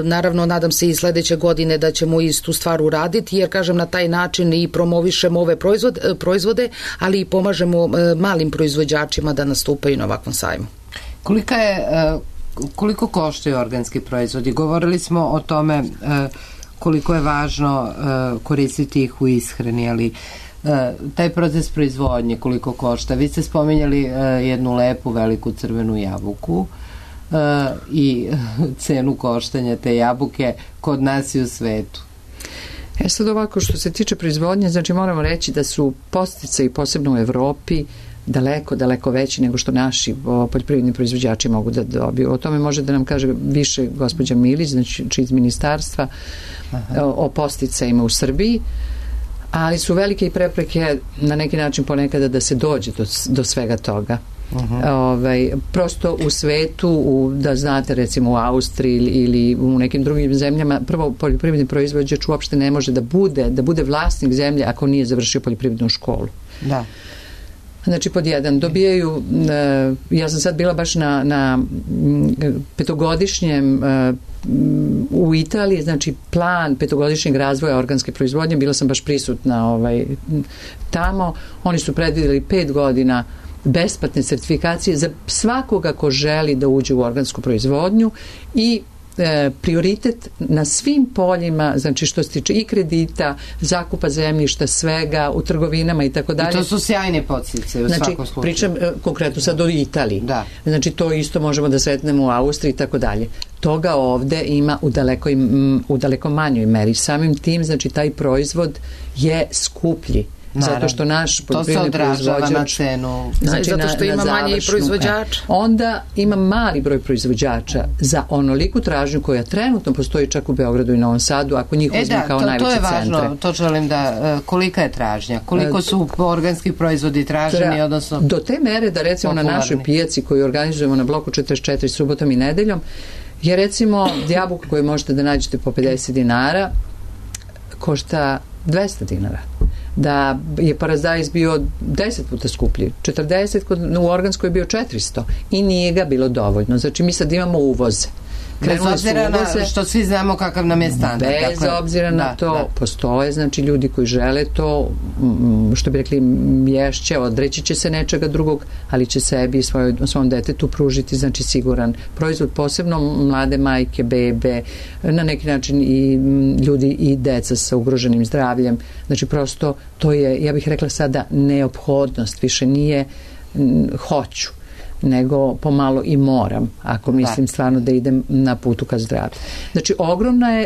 Naravno, nadam se i sledeće godine da ćemo istu stvar uraditi, jer, kažem, na taj način i promovišemo ove proizvode, ali i pomažemo malim proizvođačima da nastupaju na ovakvom sajmu. Koliko koštaju organski proizvodi? Govorili smo o tome koliko je važno koristiti ih u ishrani, ali taj proces proizvodnje koliko košta? Vi ste spominjali jednu lepu veliku crvenu jabuku i cenu koštanja te jabuke kod nas i u svetu. Sad ovako, što se tiče proizvodnje, znači moramo reći da su podsticaji posebno u Evropi daleko veći nego što naši poljoprivredni proizvođači mogu da dobiju. O tome može da nam kaže više gospođa Milić, znači iz ministarstva, o podsticajima u Srbiji. ali su velike i prepreke na neki način ponekada da se dođe do svega toga. Prosto u svetu, da znate, recimo u Austriji ili u nekim drugim zemljama, prvo poljoprivredni proizvođač uopšte ne može da bude vlasnik zemlje ako nije završio poljoprivrednu školu. Da. Znači, pod jedan, dobijaju, ja sam sad bila baš na petogodišnjem u Italiji, znači plan petogodišnjeg razvoja organske proizvodnje, bila sam baš prisutna tamo, oni su predvidjeli 5 godina besplatne sertifikacije za svakoga ko želi da uđe u organsku proizvodnju i prioritet na svim poljima, znači što se tiče i kredita, zakupa zemljišta, svega, u trgovinama i tako dalje. I to su sjajne podsticaje u svakom slučaju. Pričam konkretno sad o Italiji. Da. Znači to isto možemo da sretnemo u Austriji i tako dalje. Toga ovde ima u daleko manjoj meri. Samim tim, znači taj proizvod je skuplji. Naravno. Zato što naš poljoprivredni proizvođač... To se odražava na cenu. Znači, zato što ima manji proizvođača. Onda ima mali broj proizvođača za onoliku tražnju koja trenutno postoji čak u Beogradu i Novom Sadu, ako njih uzme kao najveće centre. To je važno, to želim da... Kolika je tražnja? Koliko su organski proizvodi traženi, odnosno... Do te mere da recimo popularni. Na našoj pijaci koju organizujemo na bloku 44 subotom i nedeljom je recimo jabuka koju možete da nađete po 50 dinara košta 200 dinara. Da je paradajz bio 10 puta skuplji, 40, u organskoj je bio 400 i nije ga bilo dovoljno. Znači mi sad imamo uvoze. Bez obzira na što svi znamo kakav nam je standard. Bez obzira na to postoje, znači ljudi koji žele to, što bi rekli, mješće, odreći će se nečega drugog, ali će sebi i svom detetu pružiti, znači siguran proizvod, posebno mlade majke, bebe, na neki način i ljudi i deca sa ugroženim zdravljem. Znači prosto to je, ja bih rekla sada, neophodnost, više nije hoću, nego pomalo i moram, ako mislim stvarno da idem na putu ka zdravlju. Znači,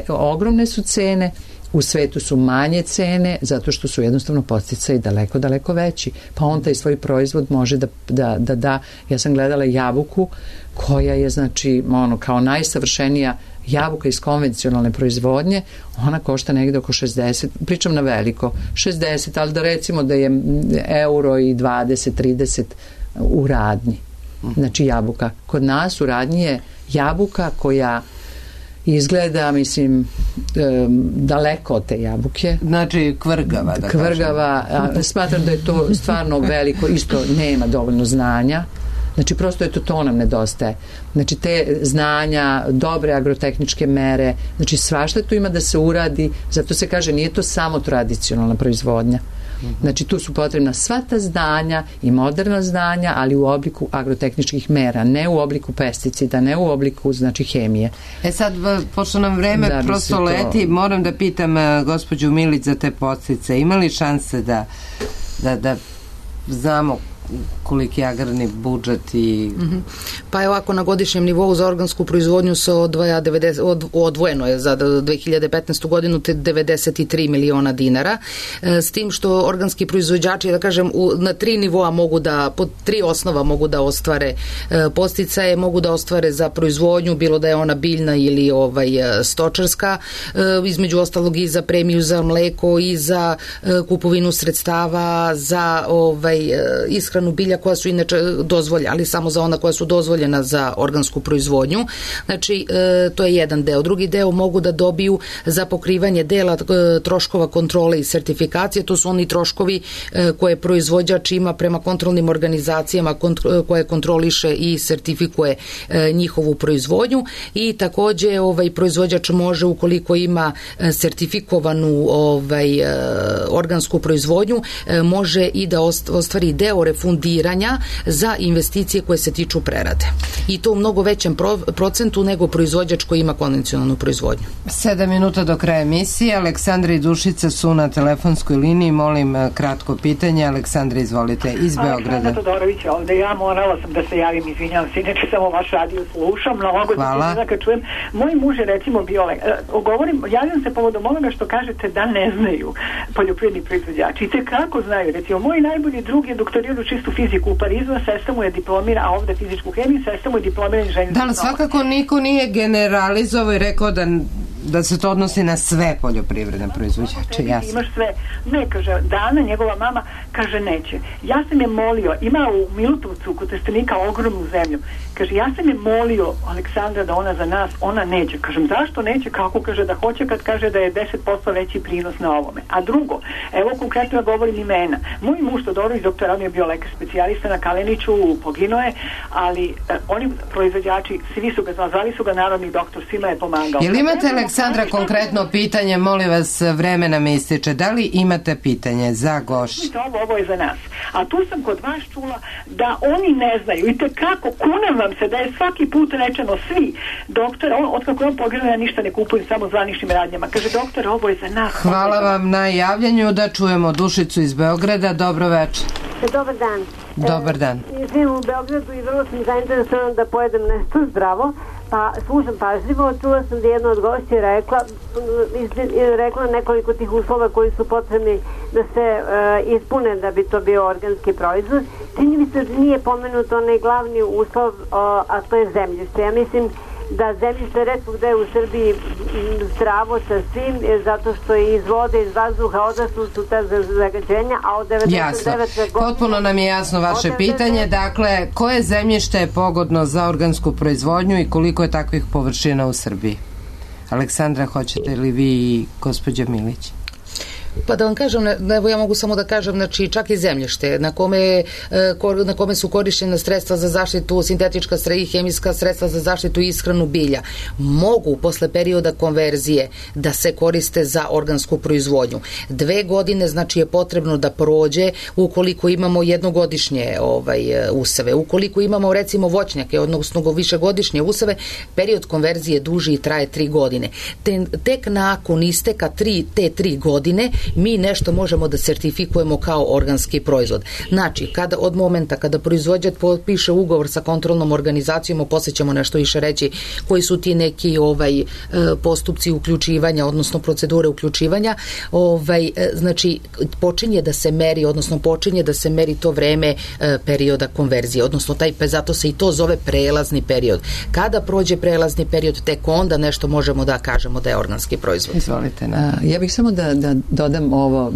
ogromne su cene, u svetu su manje cene, zato što su jednostavno podsticaji daleko, daleko veći. Pa on taj svoj proizvod može da, ja sam gledala jabuku koja je, znači, kao najsavršenija jabuka iz konvencionalne proizvodnje, ona košta negde oko 60, pričam na veliko, 60, ali da recimo da je euro i 20, 30 u radnji. Znači jabuka. Kod nas u radnji je jabuka koja izgleda, mislim, daleko od te jabuke. Znači kvrgava. Kvrgava. Smatram da je to stvarno veliko, isto nema dovoljno znanja. Znači prosto to nam nedostaje. Znači te znanja, dobre agrotehničke mere, znači svašta tu ima da se uradi, zato se kaže nije to samo tradicionalna proizvodnja. Znači tu su potrebna sva ta znanja i moderna znanja, ali u obliku agrotehničkih mera, ne u obliku pesticida, ne u obliku, znači, hemije. Sad, pošto nam vreme prosto leti, moram da pitam gospođu Milić za te podstice. Ima li šanse da znamo koliki je agrarni budžet i... Pa je ovako, na godišnjem nivou za organsku proizvodnju se odvojeno je za 2015. godinu 93 miliona dinara, s tim što organski proizvođači, da kažem, na 3 nivoa mogu da, po 3 osnova mogu da ostvare podsticaje, mogu da ostvare za proizvodnju, bilo da je ona biljna ili stočarska, između ostalog i za premiju za mleko i za kupovinu sredstava, za ishranu bilja koja su inače dozvoljena, ali samo za ona koja su dozvoljena za organsku proizvodnju. Znači, to je jedan deo. Drugi deo mogu da dobiju za pokrivanje dela troškova kontrole i sertifikacije. To su oni troškovi koje proizvođač ima prema kontrolnim organizacijama koje kontroliše i sertifikuje njihovu proizvodnju, i takođe proizvođač može, ukoliko ima sertifikovanu organsku proizvodnju, može i da ostvari deo refundiranja za investicije koje se tiču prerade. I to u mnogo većem procentu nego proizvođač koji ima konvencionalnu proizvodnju. 7 minuta do kraja emisije. Aleksandra i Dušica su na telefonskoj liniji. Molim kratko pitanje. Aleksandra, izvolite, iz Beograda. Aleksandra Todorović ovde. Ja morala sam da se javim, izvinjavam se, inače samo vaš radio slušam. Hvala. Kad čujem, moj muž je recimo bio, javljam se povodom onoga što kažete da ne znaju poljoprivredni proizvođači. I te kako znaju. Recimo, moj najbolji drug je doktorirao čistu fiziku u Parizu, a sestra mu je diplomira, a ovde fizičku hemiju, sestra mu je diplomira inženjer. Da, ali svakako niko nije generalizovao i rekao da da se to odnosi na sve poljoprivredne proizvođače. Imaš sve. Ne, kaže, Dana, njegova mama, kaže neće. Ja sam je molio, ima u Milutovcu kod Trstenika ogromnu zemlju. Kaže, ja sam je molio Aleksandra da ona za nas, ona neće. Kažem, zašto neće? Kako? Kaže da hoće kad kaže da je 10% veći prinos na ovome. A drugo, evo konkretno ja govorim imena. Moj muž Todorović, doktor, on je bio lekar specijalista na Kaleniću, poginuo je, ali oni proizvođači, svi su ga zvali su ga narodni doktor, svima je pomagao. Jel imate, Aleksandra, konkretno pitanje, molim vas, vreme nam ističe, da li imate pitanje za gošću? Ovo je za nas. A tu sam kod vas čula da oni ne znaju i tekako, kunem vam se da je svaki put rečeno svi, doktor, otkako on poginuo, ja ništa ne kupujem, samo zvaničnim radnjama. Kaže, doktor, ovo je za nas. Hvala vam na javljanju, da čujemo Dušicu iz Beograda. Dobro večer. Dobar dan. Dobar dan. Živim u Beogradu i vrlo sam zainteresovan da pojedem nešto zdravo, pa slušam pažljivo. Čula sam da jedna od gošća rekla nekoliko tih uslova koji su potrebni da se ispune da bi to bio organski proizvod. Čini mi se da nije pomenut onaj glavni uslov, a to je zemljište. Ja mislim da zemljište retko gde u Srbiji zdravo sa svim, zato što je iz vode, iz vazduha odašlo su ta zagađenja, a od 99... Jasno. Potpuno nam je jasno vaše pitanje. Dakle, koje zemljište je pogodno za organsku proizvodnju i koliko je takvih površina u Srbiji? Aleksandra, hoćete li vi i gospođa Milić? Pa da vam kažem, evo ja mogu samo da kažem, znači čak i zemljište na kome su korišćena sredstva za zaštitu, sintetička i hemijska sredstva za zaštitu i ishranu bilja, mogu posle perioda konverzije da se koriste za organsku proizvodnju. 2 godine znači je potrebno da prođe ukoliko imamo jednogodišnje useve. Ukoliko imamo recimo voćnjake, odnosno višegodišnje useve, period konverzije duži i traje 3 godine. Tek nakon isteka te 3 godine mi nešto možemo da sertifikujemo kao organski proizvod. Znači, od momenta kada proizvođač potpiše ugovor sa kontrolnom organizacijom, posle ćemo nešto više reći koji su ti neki postupci uključivanja, odnosno procedure uključivanja, znači počinje da se meri, odnosno počinje da se meri to vreme perioda konverzije, odnosno zato se i to zove prelazni period. Kada prođe prelazni period, tek onda nešto možemo da kažemo da je organski proizvod. Izvolite. Ja bih samo da dodam ovo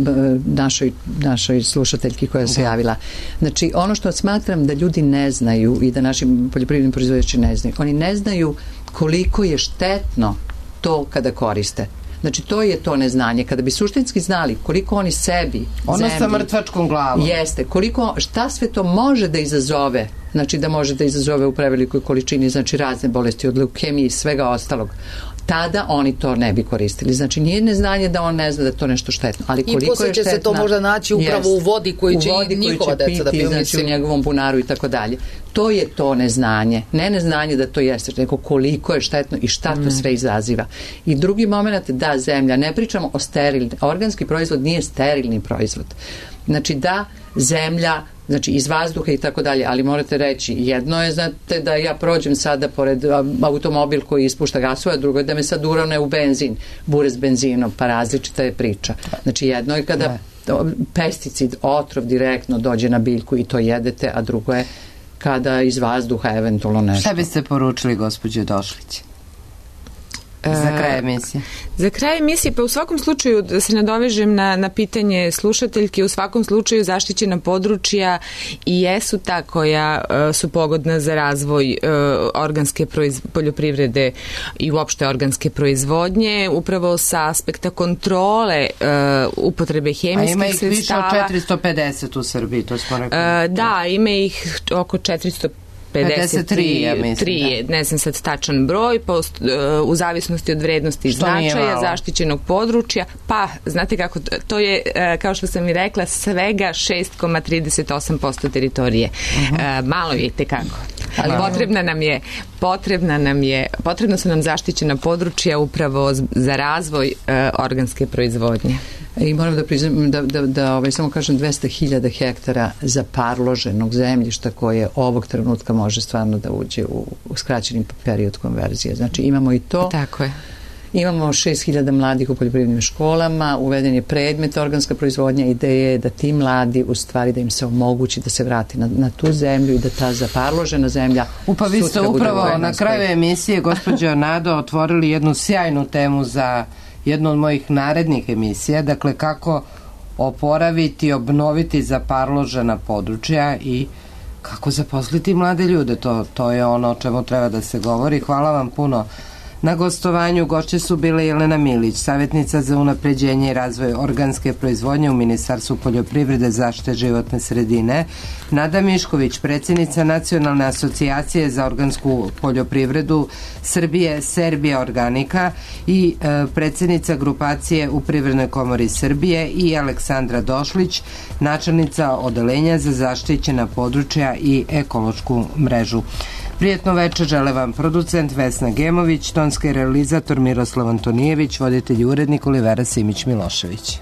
našoj slušateljki koja se javila. Znači, ono što smatram da ljudi ne znaju i da naši poljoprivredni proizvođači ne znaju, oni ne znaju koliko je štetno to kada koriste. Znači, to je to neznanje. Kada bi suštinski znali koliko oni sebi, ono sa mrtvačkom glavom. Jeste, šta sve to može da izazove, znači da može da izazove u prevelikoj količini, znači razne bolesti od leukemije i svega ostalog, tada oni to ne bi koristili. Znači, nije neznanje da on ne zna da je to nešto štetno, ali koliko je štetno. I posle će se to možda naći upravo u vodi koju će i njihova deca da piju, znači u njegovom bunaru i tako dalje. To je to neznanje. Ne neznanje da to jeste, nego koliko je štetno i šta to sve izaziva. I drugi moment, da, zemlja, ne pričamo o sterilni, organski proizvod nije sterilni proizvod. Znači, da, zemlja, znači iz vazduha i tako dalje, ali morate reći, jedno je, znate, da ja prođem sada pored automobil koji ispušta gasove, a drugo je da me sad urone u benzin, bure s benzinom, pa različita je priča. Znači, jedno je kada pesticid, otrov direktno dođe na biljku i to jedete, a drugo je kada iz vazduha eventualno nešto. Šta biste poručili gospođe Došlić? Za kraj emisije. Za kraj emisije, pa u svakom slučaju da se nadovežem na pitanje slušateljke, u svakom slučaju zaštićena područja i jesu ta koja su pogodna za razvoj organske poljoprivrede i uopšte organske proizvodnje, upravo sa aspekta kontrole upotrebe hemijskih sredstava. A ima ih više od 450 u Srbiji, to smo rekli. Da, ima ih oko 453, ja mislim, ne znam sad tačan broj, u zavisnosti od vrednosti i značaja zaštićenog područja, pa znate kako, to je, kao što sam i rekla, svega 6,38% teritorije. Malo je tekako. Ali potrebna su nam zaštićena područja upravo za razvoj organske proizvodnje. I moram da priznam da samo kažem 200.000 hektara zaparloženog zemljišta koje ovog trenutka može stvarno da uđe u skraćeni period konverzije. Znači imamo i to. Tako je. Imamo 6.000 mladih u poljoprivrednim školama, uveden je predmet organska proizvodnja, ideja je da ti mladi u stvari da im se omogući da se vrati na tu zemlju i da ta zaparložena zemlja Pa vi ste upravo na kraju emisije, gospođo Nado, otvorili jednu sjajnu temu za jednu od mojih narednih emisija, dakle kako oporaviti, obnoviti zaparložena područja i kako zaposliti mlade ljude. To je ono o čemu treba da se govori. Hvala vam puno na gostovanju. Gošće su bile Jelena Milić, savjetnica za unapređenje i razvoj organske proizvodnje u Ministarstvu poljoprivrede, zaštite životne sredine, Nada Mišković, predsjednica Nacionalne asocijacije za organsku poljoprivredu Srbije, Serbija Organika i predsjednica grupacije u Privrednoj komori Srbije, i Aleksandra Došlić, načelnica odeljenja za zaštićena područja i ekološku mrežu. Prijetno večer žele vam producent Vesna Gemović, tonski realizator Miroslav Antonijević, voditelj i urednik Olivera Simić Milošević.